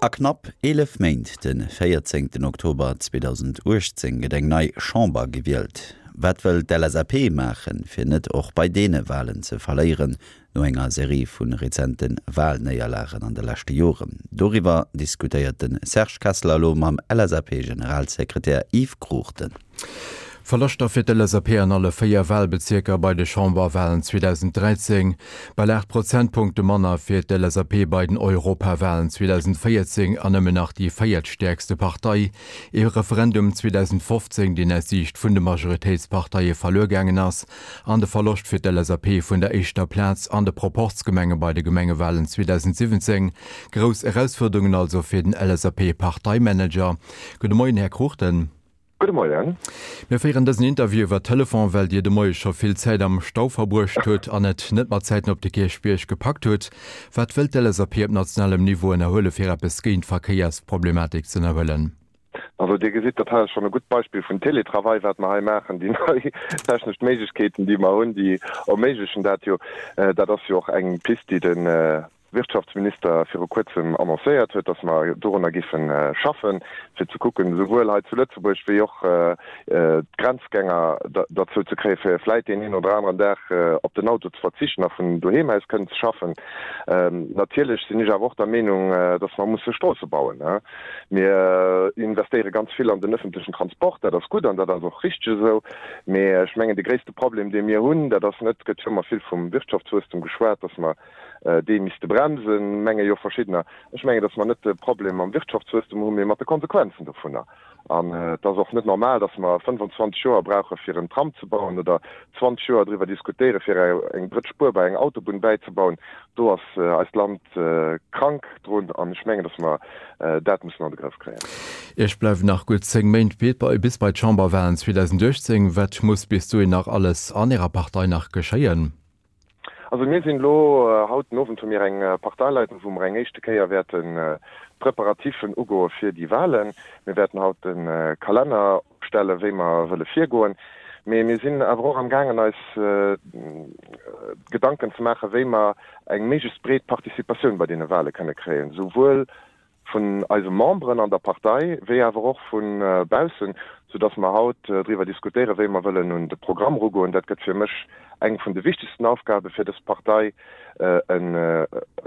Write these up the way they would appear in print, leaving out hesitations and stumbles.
A knapp 11 Méint, de 14 Oktober 2018, gëtt eng nei Chamber gewielt. Wat wëll d'LSAP maachen, fir net och bei deene Walen ze verléieren, no enger Serie vu rezente Walnéierlagen an de leschte Joren? Doriwwer diskutéiert de Serge Kesseler elo mam LSAP-Generalsekretär Yves Cruchten. Verloschter fir d'LSAP an alle 4 Walbezierker bei de Chamberwalen 2013, bal 8 Prozentpunkte manner fir d'LSAP bei den Europawalen 2014 an nëmmen nach déi véiertstäerkste Partei. Ee Referendum 2015, deen aus Siicht vun de Majoritéitsparteie verluer gaangen ass, an de Verloscht fir d'LSAP vun der éischter Plaz an de Proporzgemenge bei de Gemengewalen 2017. Grouss Erausfuerderungen also fir den LSAP-Parteimanager. Gudde Moien, Här Cruchten. Gudde Moien. Mir féieren dësen Interview iwwer Telefon, well Dir de Moie scho vill Zäit am Stau verbruecht hutt an et net mat Zäiten op de Kierchbierg gepackt hutt. Wat wëllt d'LSAP op nationalem Niveau ënnerhuele fir eppes géint d'Verkéiersproblematik ze ënnerhuelen? Also Dir gesitt, dat hei ass schonn e gutt Beispill vun Télétravail, wat mer hei maachen. Déi nei technesch Méiglechkeeten, déi mer hunn, déi erméiglechen dat jo. Dat ass jo och eng Pist, déi de Wirtschaftsminister viru kuerzem annoncéiert huet, dass mer dorunner giffe schaffen, fir ze kucken, esouwuel hei zu Lëtzebuerg wéi och d'Grenzgänger derzou ze kréien, fir vläit deen een oder aneren Dag op den Auto ze verzichten a vun doheem aus kënnen ze schaffen. Natierlech sinn ech awer och der Meenung, dass mer musse Stroosse bauen. Mir investéiere ganz vill an den öffentlechen Transport, dat ass gutt an dat ass och richteg esou. Mee ech mengen, de gréisste Problem, dee mir hunn, dat ass net, et gëtt jo ëmmer vill vum Wirtschaftswuesstum geschwat, dass mer dee misste bremsen, menge jo verschiddener. Ech mengen, datt mer net de Problem mam Wirtschaftswuesstum hunn, mee mat de Konsequenzen dovunner. An et ass och net normal, datt mer 25 Joer brauche fir en Tram ze bauen oder 20 Joer driwwer diskutéiere fir eng drëtt Spuer bei eng Autobunn bäizebauen. Do ass eist Land krank drun an ech mengen, datt mer dat mussen an de Grëff kréien. Iech bleiwen nach gutt 10 Méint bis bei d'Chamberwahlen 2018. Wat muss bis dohin nach alles an Ärer Partei nach geschéien? Also mir sinn elo, haut den Owend hu mir eng Parteileitung, wou mer eng éischte Kéier wäerten d'Preparatifen ugoe fir déi Wahlen. Mir wäerten haut de Kalenner opstellen, wéi mer wëlle virgoen. Mee mir sinn awer och am gaangen eis Gedanken ze maachen, wéi mer eng méiglechst breet Participatioun bei deene Wahle kënne kréien, souwuel vun eise Memberen an der Partei wéi awer och vu baussen, soudass mer haut driwwer diskutéieren, wéi mer wëllen un de Programm erugoen. Dat gëtt fir mech eng vun de wichtegsten Aufgabe fir dës Partei, e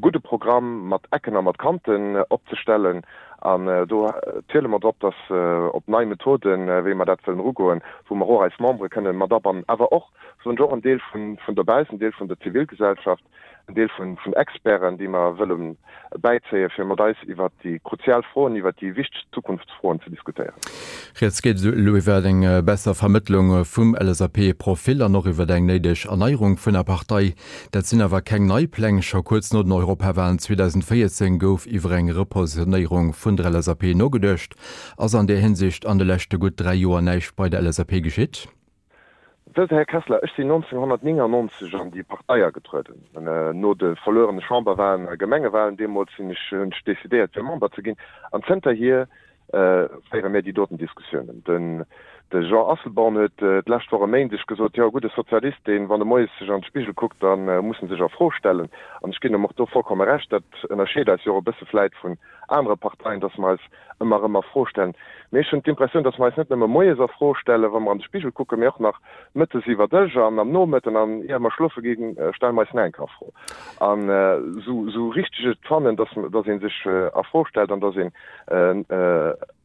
gudde Programm mat Ecken a mat Kanten opzestellen. An do ziele mer drop, dass op nei Methoden, wéi mer dat wëllen erugoen, wou mer och eis Membere kënnen mat abannen, awer och, soen ech och, en Deel vun dobaussen, en Deel vun der Zivilgesellschaft, en Deel vun Experten, déi mer wëlle bäizéien, fir mat eis iwwert déi kruzial Froen, iwwert déi wichteg Zukunftsfroen ze diskutéieren. Rieds geet elo iwwer eng besser Vermëttlung vum LSAP-Profil an och iwwer eng néideg Erneierung vun der Partei. Dat sinn awer keng nei Pläng. Scho kuerz no den Europawalen 2014 gouf iwwer eng Repositionéierung vun der LSAP nogeduecht. Ass an där Hinsicht an de leschte gutt 3 Joer näischt bei der LSAP geschitt? Wësst Der, Här Kessler, ech sinn 1999 an déi Partei agetrueden. No de verluerene Chamberwahlen a Gemengewahlen deemools sinn ech, hunn ech decidéiert fir Member ze ginn. An zënterhier féiere mir déi doten Diskussiounen. Den de Jean Asselborn huet d'lescht Woch e Méindeg gesot, jo, e gudde Sozialist, deen, wann e moies sech an de Spigel kuckt, da muss en sech a Fro stellen. An ech ginn em och do vollkomme Recht. Dat ënnerscheet eis jo och e bësse vläit vun anere Parteien, dass mer eis ëmmer erëm a Fro stellen. Mee ech hunn d'Impressioun, dass mer eis net nëmme moies a Fro stellen, wa mer an de Spigel kucken, mee och nach mëttes iwwer Dësch an am Nomëtten an ier mer schlofe ginn, stelle mer eis nach eng Kéier a Fro. An esou richteg ech et fannen, dass, dass ee sech a Fro stellt an dass een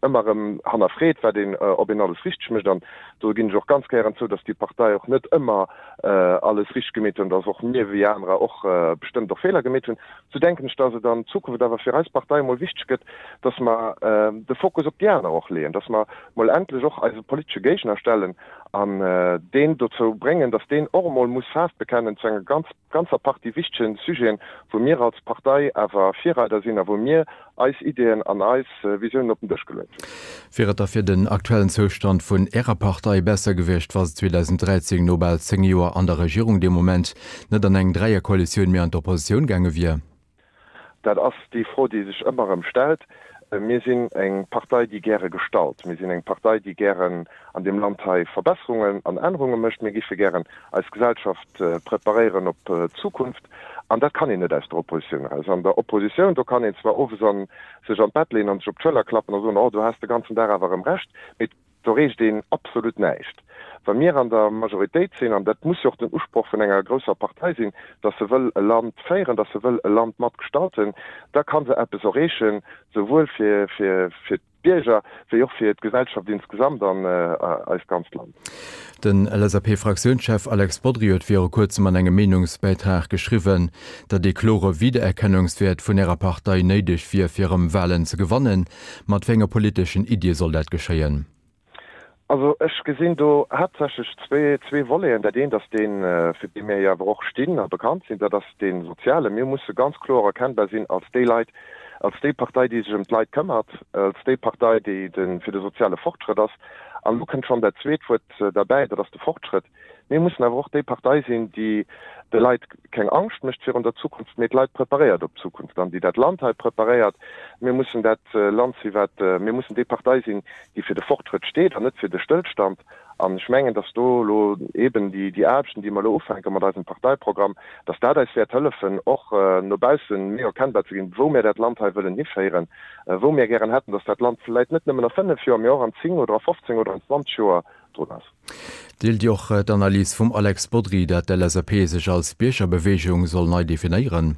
ëmmer erëm hannerfreet, wat een, ob een alles richteg mécht. An do ginn ech och ganz gären zou, dass déi Partei och net ëmmer alles richteg gemeet huet an dass och mir wéi anerer och bestëmmt och Feeler gemeet hunn. Sou denken ech, dass et an Zukunft awer fir eis Partei emol wichteg gëtt, dass mer de Fokus op déi aner och leeën, dass mer mol endlech och eise politesche Géigner stellen an deen dozou bréngen, dass deen och emol muss Faarf bekennen zu enger ganz ganzer Partie wichtegen Sujeten, wou mir als Partei awer Virreider sinn a wou mir eis Ideeën an eis Visiounen op den Dësch geluet hunn. Wier et da fir den aktuellen Zoustand vun Ärer Partei besser gewiescht, wa se 2013 no bal 10 Joer an der Regierung dee Moment net an eng Dräierkoalitioun, mee an d'Oppositioun gaange wier? Dat ass déi Fro, déi sech ëmmer erëm stellt. Mir sinn eng Partei, déi gäre gestalt. Mir sinn eng Partei, déi gären an deem Land hei Verbesserungen an Ännerunge mécht. Mir géife gären eis Gesellschaft preparéieren op d'Zukunft. An dat kann een net aus der Oppositioun eraus. An der Oppositioun, do kann een zwar owes an sech an d'Bett leeën an sech op d'Schëller klappen a soen, oh do has de ganzen Dag awer erëm Recht, mee do reecht een absolut näischt. Wa mir an der Majoritéit sinn, an dat muss jo och den Usproch vun enger grousser Partei sinn, datt se wëll e Land féieren, datt se wëll e Land matgestalten, da ka se eppes erreechen, souwuel fir fir d'Bierger wéi och fir d'Gesellschaft insgesamt an eist ganzt Land. Den LSAP-Fraktiounschef Alex Bodry huet viru kuerzem an engem Meenungsbäitrag geschriwwen, datt ee klore Wiedererkennungswäert vun Ärer Partei néideg wier, fir erëm Walen ze gewannen. Mat wéi enge politeschen Iddie soll dat geschéien? Also ech gesinn do haaptsächlech zwee Voleten. Dat eent ass deen, fir dee mir jo awer och stinn a bekannt sinn, dat ass dee soziale. Mir musse ganz kloer erkennbar sinn als déi Leit, als déi Partei, déi sech ëm d'Leit këmmert, als déi Partei, déi fir de soziale Fortschrëtt ass. An elo kënnt schonn dat zweet Wuert derbäi, dat ass de Fortschrëtt. Mir mussen awer och déi Partei sinn, déi de Leit keng Angscht mécht virun der Zukunft, mee d'Leit preparéiert op d'Zukunft an déi dat Land hei preparéiert. Mir mussen dat Land sinn, wat, mir mussen déi Partei sinn, déi fir de Fortschrëtt steet an net fir de Stëllstand. An ech mengen, dass do elo eeben déi Aarbechten, déi mer elo ufänke mat eisem Parteiprogramm, dass dat eis wäert hëllefen, och no bausse méi erkennbar ze ginn, wou mir dat Land hei wëllen hiféieren, wou mir gären hätten, dass dat Land vläicht net nëmmen a fënnef Joer, mee och an zéng oder a 15 oder an 20 Joer drun ass. Deelt Dir och d'Analys vum Alex Bodry, dat d'LSAP sech als Biergerbeweegung soll nei definéieren?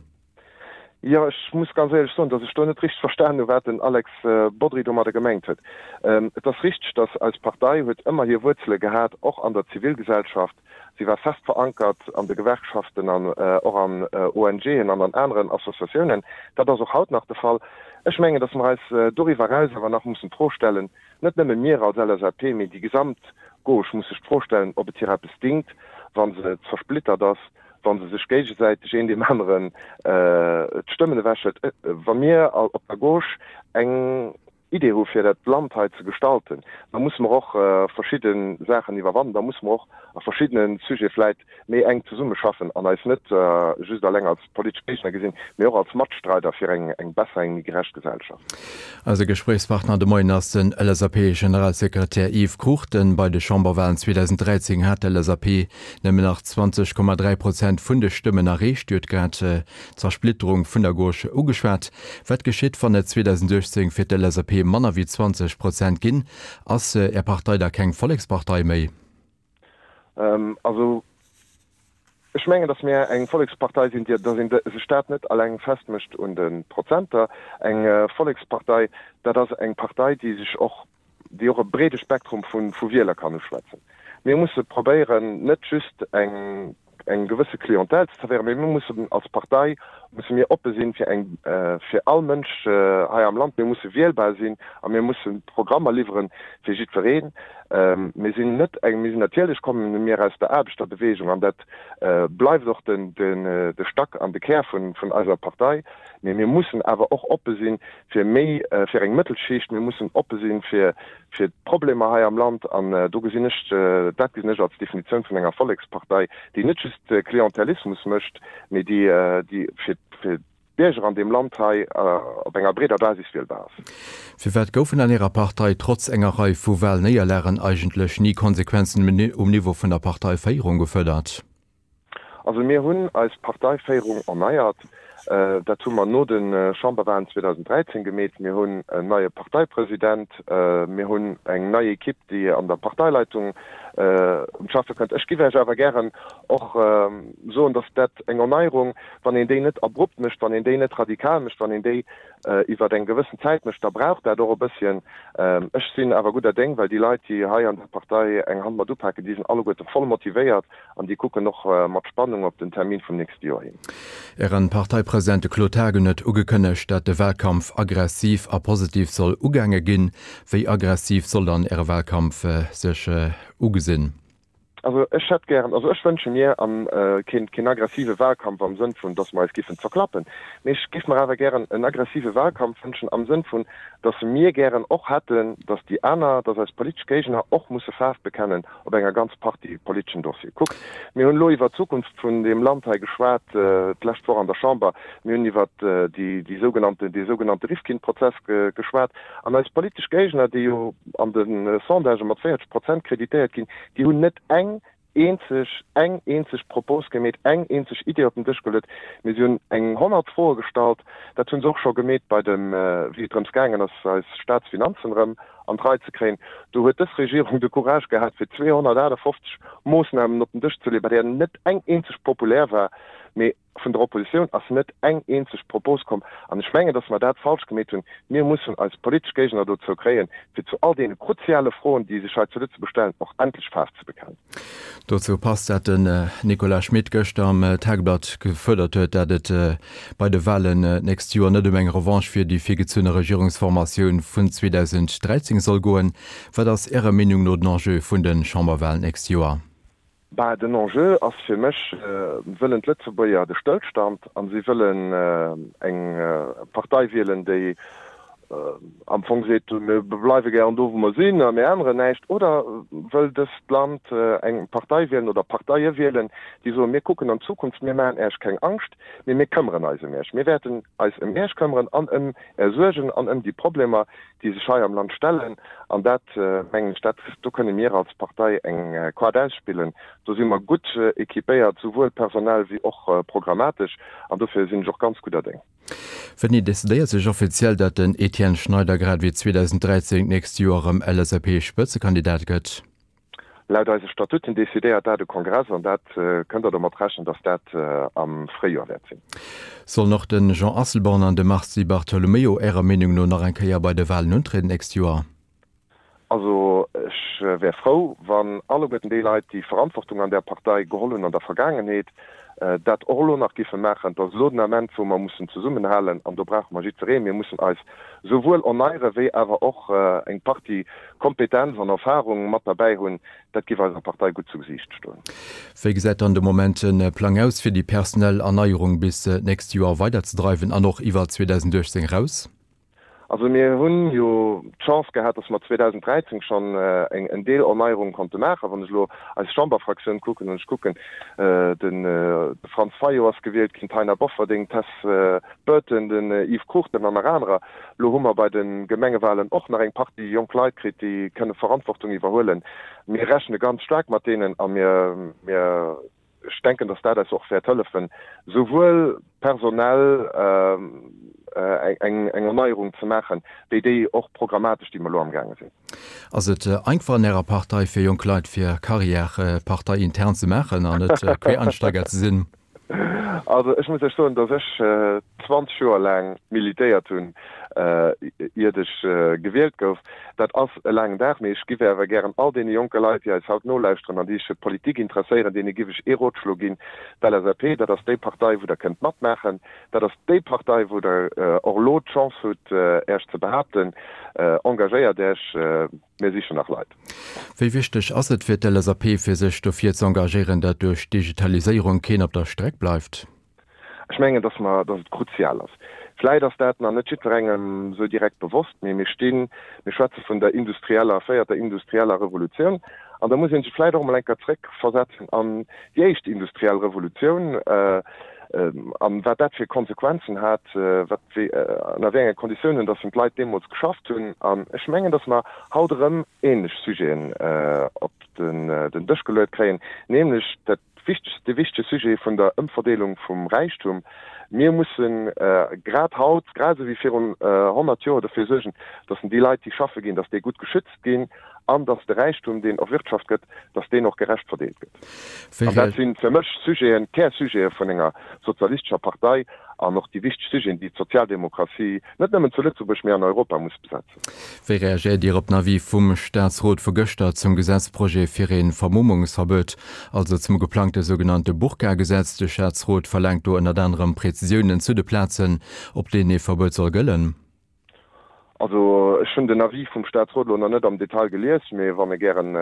Jo, ech muss ganz éierlech soen, datt ech do net richteg verstan hu wat den Alex Bodry domadder gemengt huet. Et ass richteg, datt eis Partei huet ëmmer hir Wuerzele gehat, och an der Zivilgesellschaft. Si war fest verankert an de Gewerkschaften an och an ONGen an an aneren Associatiounen. Dat ass och haut nach de Fall. Ech mengen, datt mer eis doriwwer eraus awer nach mussen d'Fro stellen, Net nëmme mir als LSAP, mee déi gesamt Gauche muss sech d'Fro stellen, ob et hir eppes dingt, wa se zersplittert ass, wa se sech géigesäiteg een deem aneren d'Stëmmen ewechhëlt. Wa mir op der Gauche eng Idee hu fir dat Land hei ze gestalten, da musse mer och verschidde Saachen iwwerwannen, da musse mer och a verschiddene Sujete vläit méi enk zesummeschaffen an eis net just alleng als politesch Géigner gesinn, mee och als Matstreider fir eng besser, eng méi gerecht Gesellschaft. Eise Gespréichspartner de Moien ass den LSAP-Generalsekretär Yves Cruchten. Bei de Chamberwalen 2013 hat d'LSAP nëmmen nach 20,3 Prozent vun de Stëmmen erreecht. Dir hutt grad d'Zersplitterung vun der Gauche ugeschwat. Wat geschitt, wann et 2018 fir d'LSAP manner wéi 20 Prozent ginn? Ass Är Partei da keng Vollekspartei méi? Also ech mengen, datt mir eng Vollekspartei sinn, déi, datt ee sech dat net alleng festmécht un de Prozenter. Eng Vollekspartei, dat ass eng Partei, déi sech och, déi och e breede Spektrum vu Wieler kann uschwätzen. Mir musse probéieren, net just eng eng gewësse Clientèle ze zerwéieren, mee mir mussen als Partei musse mir oppe sinn fir eng fir all Mënsch hei am Land. Mir musse wielbar sinn a mir musse Programmer liwweren fir jiddwereen. Mir sinn net eng, mir sinn natierlech komme mir aus der Aarbechterbewegung an dat bleift och den de Stack an de Kär vun vun eiser Partei, mee mir mussen awer och oppe sinn fir méi fir eng Mëttelschicht, mir mussen oppe sinn fir fir d'Problemer hei am Land. An do gesinn ech, dat gesinn ech als Definitioun vun enger Vollekspartei, déi net just Klientelismus mécht, mee déi, déi fir d'Bierger an deem Land hei op enger breeder Basis wielbar ass. Firwat goufen an Ärer Partei trotz enger Rei vu Wahlnéierlagen eigentlech ni Konsequenzen um Niveau vun der Parteiféierung gefuerdert? Also mir hunn eis Parteiféierung erneiert. Dat hu mer no de Chamberwahlen 2013 gemeet. Mir hunn en neie Parteipresident, mir hunn eng nei Ekipp, déi an der Parteileitung un d'Schaffe kënnt. Ech giff Iech awer gären och soen, datt dat eng Erneierung, wann een déi net abrupt mécht, wann een déi net radikal mécht, wann een déi iwwer eng gewëssen Zäit mécht, da brauch dat och e bësschen. Ech sinn awer gudder Déng, well déi Leit, déi hei an der Partei eng Hand mat upaken, déi sinn alleguerte voll motivéiert An déi kucken och mat Spannung op den Termin vum nächste Joer hin. Ären Parteipresident, de Claude Haagen, huet ugekënnegt, dat de Wahlkampf aggressiv a positiv soll ugaange ginn. Wéi aggressiv soll dann Äre Wahlkampf sech ugesinn? Also ech hätt gären, also ech wënsche mir an keen keen aggressive Wahlkampf am Sënn vun, datt mer eis giffen zerklappen, mee ech géif mer awer gären en aggressive Wahlkampf wënschen am Sënn vun, datt mir gären och hätten, datt déi aner, datt eis politesch Géigner och musse Faarf bekennen op enger ganz Partie politeschen Dossiere. Kuckt, mir hunn elo iwwert d'Zukunft vun deem Land hei geschwat d'lescht Woch an der Chamber. Mir hunn iwwert déi, déi sougenannte, dee sougenannte Rifkin-Prozess geschwat. An eis politesch Géigner, déi jo an de Sondagë mat 40 Prozent kreditéiert ginn, déi hunn net eng. eenzeg, eng eenzeg Propos gemeet, eng eenzeg Idee op den Dësch geluet, mee si hunn eng 100 Froe gestallt. Dat hu se och scho gemeet bei dem, wéi et drëms gaangen ass, eis Staatsfinanzen erëm an d'Rei ze kréien. Do huet dës Regierung de Courage gehat, fir 258 Moossnamen op den Dësch ze leeën, bei där net eng eenzeg populär war, mee Vun der Oppositioun ass net eng eenzeg Propos komm. An ech mengen, dass mer dat falsch gemeet hunn. Mir mussen eis politesch Géigner dozou kréien, fir zu all deene kruziale Froen, déi sech hei zu Lëtzebuerg stellen, och endlech Faarf ze bekennen. Dozou passt, dat den Nicolas Schmit gëschter am Tageblatt gefuerdert huet, dat et bei de Wahlen d'nächst Joer net ëm eng Revanche fir déi virgezunne Regierungsformatioun vun 2013 soll goen. Wat ass Ärer Meenung no den Enjeu vun de Chamberwahlen d'nächst Joer? Bah, den Enjeu ass fir mech, wëllen d'Lëtzebuerger de Stëllstand a si wëllen eng Partei wielen, déi am Fong seet, mir bleiwe gären do wou mer sinn a mir änneren näischt, oder wëll dëst Land eng Partei wielen oder Parteie wielen, déi soen, mir kucken an d'Zukunft, mir maachen Äech keng Angscht, mee mir këmmeren eis ëm Äech, mir wäerten eis ëm Äech këmmeren an ëm Är Suergen an ëm déi Problemer, déi sech hei am Land stellen, an dat, mengen ech, dat, do kënne mir als Partei eng Quart ausspillen. Do si mer gutt équipéiert, souwuel personell wéi och programmatesch, an dofir sinn ech och ganz gudder Déng. Wéini decidéiert sech offiziell, datt den Etienne Schneider grad wéi 2013 d'nächst Joer erëm LSAP-Spëtzekandidat gëtt? Laut eise Statuten decidéiert dat e Kongress an dat kënnt Der domat rechnen, datt dat am Fréijoer wäert sinn. Sollen och de Jean Asselborn an de Mars Di Bartolomeo Ärer Meenung no nach eng Kéier bei de Walen untrieden d'nächst Joer? Also ech wär frou, wann alleguerten déi Leit, déi Verantwortung an där Partei geholl hunn an der Vergaangenheet, dat och elo nach giffe maachen. Et ass elo den Ament, wou mer mussen zesummenhalen an do brauche mer jiddweree. Mir mussen eis souwuel erneiere wéi awer och eng Partie Kompetenz an Erfahrung mat derbäi hunn. Dat giff eiser Partei gutt zu Gesiicht stoen. Wéi gesäit dann de Moment de Plang aus, fir déi personell Erneierung bis d'nächst Joer weiderzedreiwen an och iwwer 2018 eraus? Also mir hunn jo d'Chance gehat, dass mer 2013 schonn eng en Deel Erneierung konnte maachen. Wann ech elo eis Chamberfraktioun kucken an ech kucken, de Franz Fayot ass gewielt ginn, d'Taina Bofferding, d'Tess Burton, den Yves Cruchten an nach anerer. Elo hu mer bei de Gemengewahlen och nach eng Partie jonk Leit kritt, déi kënne Verantwortung iwwerhuelen. Mir rechne ganz staark mat deenen a mir, mir, Ech denken, dass dat eis och wäert hëllefen, souwuel personell eng Erneierung ze maachen, wéi déi och programmatesch, déi mer elo amgaange sinn. Ass et einfach an Ärer Partei fir jonk Leit fir Carrière parteiintern ze maachen an net Quereinsteiger ze sinn? Also ech muss Iech soen, dass ech 20 Joer laang militéiert hunn, iert ech gewielt gouf. Dat ass e laangen Dag, mee ech giff awer gären all deene jonke Leit, déi eis haut nolauschteren an déi sech fir d'Politik interesséieren, deene giff ech ee Rotschlo ginn, D'LSAP, dat ass déi Partei, wou Der kënnt matmaachen. Dat ass déi Partei, wou Der och elo d'Chance hutt, Äech ze behaapten. Engagéiert Äech, mir sichen nach Leit. Wéi wichteg ass et fir d'LSAP, fir sech dofir ze engagéieren, dat duerch d'Digitaliséierung keen op der Streck bleift? Ech mengen, dass mer, dass et kruzial ass. Vläit ass dat nach net jiddwerengem esou direkt bewosst, mee mir stinn, mir schwätze vun der industrieller, véierter industrieller Revolutioun an da muss ee sech vläit och emol eng Kéier zréckversetzen an déi éischt industriell Revolutioun an wat dat fir Konsequenzen hat, wat, wéi, ënner wéi enge Konditiounen dass d'Leit deemools geschafft hunn. An ech mengen, dass mer haut erëm ähnlech Sujeten op den Dësch geluet kréien, nämlech dat, Wichtegst, de wichtege Sujet vun der Ëmverdeelung vum Räichtum. Mir mussen grad haut, grad esou wéi virun 100 Joer, dofir suergen, datt déi Leit, déi schaffe ginn, datt déi gutt geschützt ginn an datt de Räichtum, deen erwirtschaft gëtt, datt deen och gerecht verdeelt gëtt. An dat si fir mech Sujeten, Kärsujete vun enger sozialistescher Partei an och déi wichteg Sujeten, déi d'Sozialdemokratie net nëmmen zu Lëtzebuerg, mee an Europa muss besetzen. Wéi reagéiert Dir op den Avis vum Staatsrot vu gëschter zum Gesetzprojet fir ee Vermummungsverbuet, also zum geplangte sougenannte Burka-Gesetz? De Staatsrot verlaangt do ënnert anerem Prezisiounen zu de Plazen, op deenen ee Verbuet soll gëllen. Also ech hunn den Avis vum Staatsrot elo nach net am Detail gelies, mee wann e gären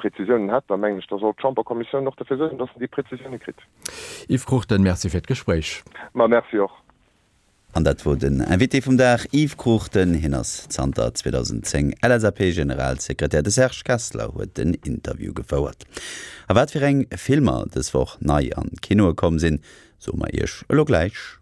Prezisiounen hätt, da mengen ech, da soll d'Chamberkommissioun och dofir suergen, datt en déi Prezisioune kritt. Yves Cruchten, Merci fir d'Gespréich. Ma merci och. An dat wor den Invité vum Dag, Yves Cruchten. Hien ass zanter 2010 LSAP-Generalsekretär. De Serge Kessler huet den Interview gefouert. A wat fir eng Filmer dës Woch nei an d'Kinoe komm sinn, soe mer Iech elo gläich.